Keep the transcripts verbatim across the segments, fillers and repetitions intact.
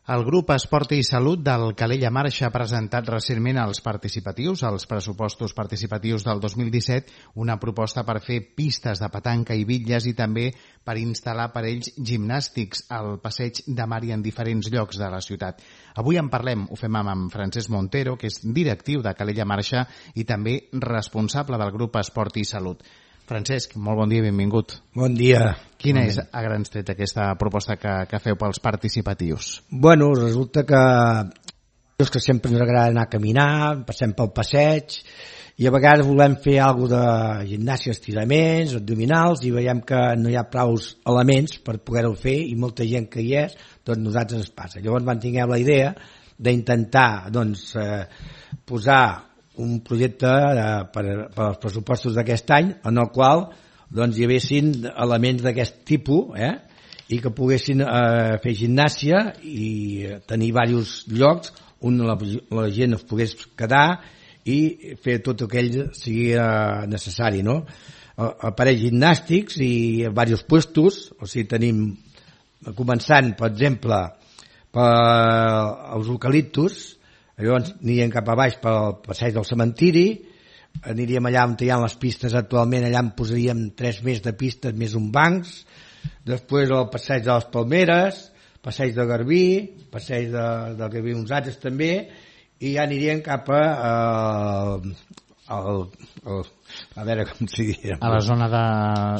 El grup Esport i Salut del Calella Marxa ha presentat recentment als participatius, als pressupostos participatius del dos mil disset, una proposta per fer pistes de petanca i bitlles i també per instal·lar aparells gimnàstics al passeig de mar i en diferents llocs de la ciutat. Avui en parlem, ho fem amb Francesc Montero, que és directiu de Calella Marxa i també responsable del grup Esport i Salut. Francesc, molt bon dia i benvingut. Bon dia. Quina és a grans trets aquesta proposta que, que feu pels participatius? Bueno, resulta que és que sempre ens agrada anar a caminar, passem pel passeig i a vegades volem fer alguna de gimnàsia, estiraments, abdominals i veiem que no hi ha prou elements per poder-ho fer i molta gent que hi és, doncs nosaltres ens passa. Llavors van tinguem la idea d'intentar doncs, eh, posar un projecte de, per, per als pressupostos d'aquest any en el qual doncs, hi haguessin elements d'aquest tipus eh, i que poguessin eh, fer gimnàsia i tenir diversos llocs on la, la gent es pogués quedar i fer tot aquell sigui eh, necessari, no? Aparells gimnàstics i diversos puestos, o sigui, tenim començant, per exemple, pels eucaliptus. Llavors aniríem cap a baix pel passeig del cementiri, aniríem allà on hi ha les pistes actualment, allà en posaríem tres més de pistes, més un bancs, després el passeig de les Palmeres, passeig de Garbí, passeig de, del Garbí uns altres també, i ja aniríem cap a, a, a, a, a veure com s'hi diria. A la zona de...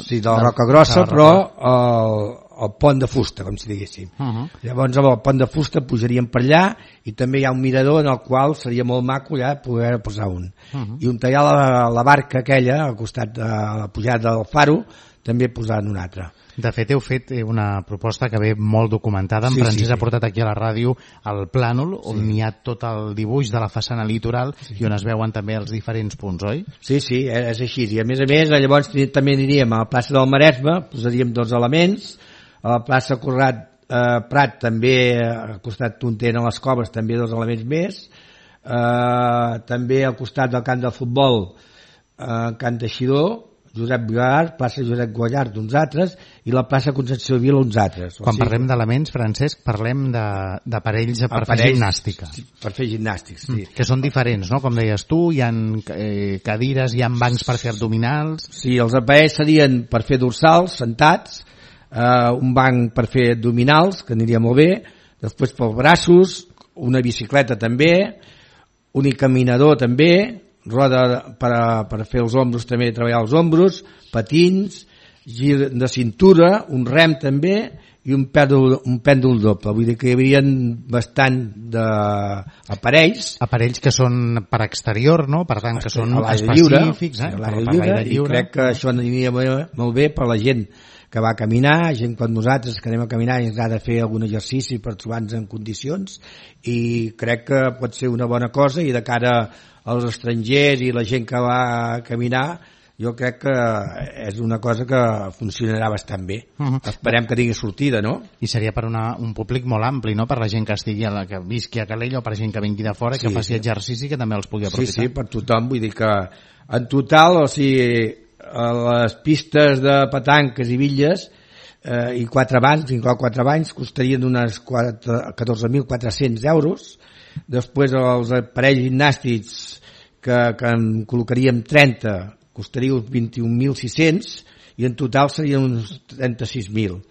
Sí, de la Roca Grossa, de però el, el pont de fusta, com si diguéssim. Uh -huh. Llavors amb el pont de fusta pujaríem per allà i també hi ha un mirador en el qual seria molt maco ja poder posar un. Uh -huh. I on hi ha la, la barca aquella, al costat de la pujada del faro, també posant un altre. De fet, heu fet una proposta que ve molt documentada. En sí, Francesc sí, sí. ha portat aquí a la ràdio el plànol, on sí. hi ha tot el dibuix de la façana litoral sí. i on es veuen també els diferents punts, oi? Sí, sí, és així. I a més a més, llavors també aniríem a la plaça del Maresme, posaríem dos elements, a la plaça Conrad eh, Prat també, al costat on tenen les coves, també dos elements més, eh, també al costat del camp de futbol, eh, Can Teixidor, Josep Guallart, plaça Josep Guallart d'uns altres i la plaça Concepció Vila uns altres. Quan o sigui, parlem d'elements, Francesc, parlem d'aparells per aparells, fer gimnàstica. Per fer gimnàstics, sí. Mm, que són diferents, no? Com deies tu, hi ha eh, cadires, hi ha bancs per fer abdominals... Sí, els aparells serien per fer dorsals, sentats, eh, un banc per fer abdominals, que aniria molt bé, després pels braços, una bicicleta també, un caminador també, roda per, a, per fer els ombros també, treballar els ombros, patins, gir de cintura, un rem també i un pèndol, un pèndol doble. Vull dir que hi havia bastant d'aparells. Aparells que són per exterior, no? Per tant, que són específics. Eh? A l'aire lliure, i crec que això aniria molt bé per la gent que va a caminar, gent com nosaltres que anem a caminar i ens ha de fer algun exercici per trobar-nos en condicions, i crec que pot ser una bona cosa, i de cara als estrangers i la gent que va a caminar, jo crec que és una cosa que funcionarà bastant bé. Uh -huh. Esperem que tingui sortida, no? I seria per una, un públic molt ampli, no? Per la gent que estigui a la, que visqui a Calella o per gent que vingui de fora i sí, que faci sí. exercici, que també els pugui aprofitar. Sí, sí, per tothom. Vull dir que en total, o sigui, les pistes de petanques i bitlles eh, i quatre bancs, inclou quatre bancs, costarien unes catorze mil quatre-cents euros. Després els aparells gimnàstics que, que en col·locaríem trenta costaria uns vint-i-un mil sis-cents i en total serien uns trenta-sis mil,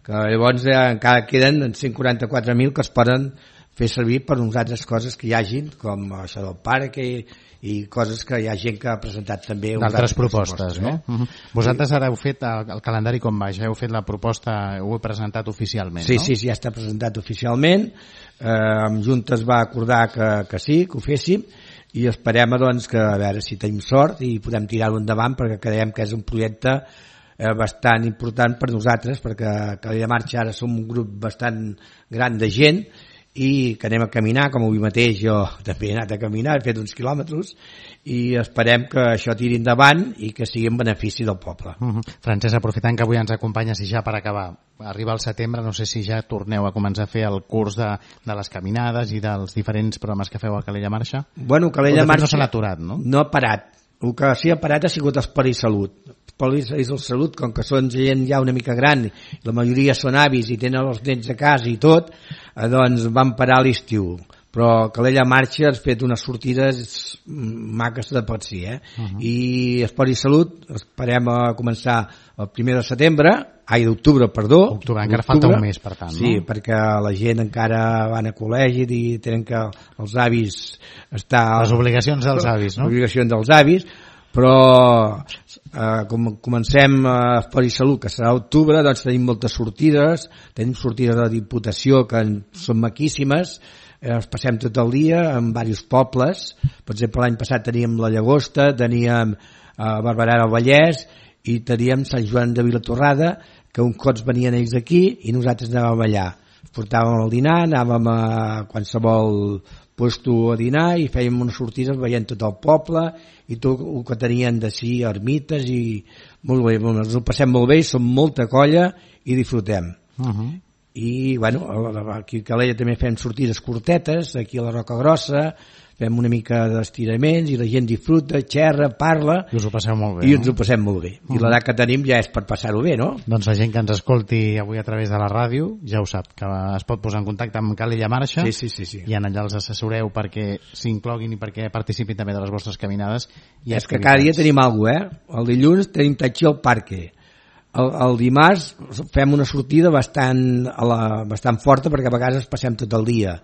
que llavors eh, encara queden cent quaranta-quatre mil que es poden fer servir per unes altres coses que hi hagin, com això del parc i, i coses que hi ha gent que ha presentat també d'altres propostes, no? Eh? Uh-huh. Vosaltres ara heu fet el, el calendari com va, ja heu fet la proposta, ho heu presentat oficialment, sí, no? Sí, sí, ja està presentat oficialment, eh, amb Junta es va acordar que, que sí, que ho féssim, i esperem doncs, que a veure si tenim sort i podem tirar-ho endavant, perquè creiem que és un projecte eh, bastant important per nosaltres, perquè a Calella Marxa ara som un grup bastant gran de gent i que anem a caminar, com avui mateix jo també he anat a caminar, he fet uns quilòmetres, i esperem que això tiri endavant i que sigui en benefici del poble. Uh -huh. Francesc, aprofitant que avui ens acompanyes i ja per acabar, arriba el setembre, no sé si ja torneu a començar a fer el curs de, de les caminades i dels diferents programes que feu a Calella Marxa? Bueno, Calella Marxa no s'ha aturat, no? No ha parat, el que s'hi ha parat ha sigut Esport i Salut. Esport i Salut, com que són gent ja una mica gran, la majoria són avis i tenen els nens a casa i tot, eh, doncs van parar a l'estiu. Però Calella Marxa ha fet unes sortides maques de pot si, eh? Uh-huh. I Esport i Salut esperem a començar el primer de setembre, ai, d'octubre, perdó. Octubre, encara falta un mes, per tant, sí, no? perquè la gent encara van a col·legi i tenen que els avis estar... Les obligacions dels avis, no? Les obligacions dels avis, però eh, com comencem a Esport i Salut, que serà a octubre, doncs tenim moltes sortides, tenim sortides de Diputació que són maquíssimes, ens passem tot el dia en diversos pobles. Per exemple, l'any passat teníem la Llagosta, teníem eh, Barberà del Vallès i teníem Sant Joan de Vilatorrada, que uns cops venien ells d'aquí i nosaltres anàvem allà. Portàvem el dinar, anàvem a qualsevol puesto a dinar i fèiem unes sortides veient tot el poble i tot el que tenien de sí, ermites, i molt bé, ens ho passem molt bé, som molta colla i disfrutem. Uh-huh. I bueno, aquí a Calella també fem sortides curtetes, aquí a la Roca Grossa fem una mica d'estiraments i la gent disfruta, xerra, parla i us ho passeu molt bé, i no? ens ho passem molt bé. Uh-huh. I l'edat que tenim ja és per passar-ho bé, no? Doncs la gent que ens escolti avui a través de la ràdio ja ho sap, que es pot posar en contacte amb Calella Marxa, sí, sí, sí, sí. i en allà els assessoreu perquè s'incloguin i perquè participin també de les vostres caminades i és que cada dia tenim alguna cosa, eh? El dilluns tenim tatxi al parque. El, el dimarts fem una sortida bastant, a la, bastant forta perquè a vegades passem tot el dia.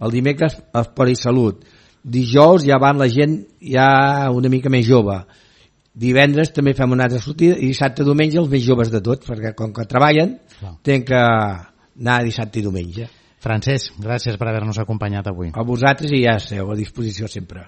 El dimecres Esport i Salut. Dijous ja van la gent ja una mica més jove. Divendres també fem una altra sortida i dissabte i diumenge els més joves de tots, perquè com que treballen no. tenen que anar dissabte i diumenge. Francesc, gràcies per haver-nos acompanyat avui. A vosaltres i ja esteu a disposició sempre.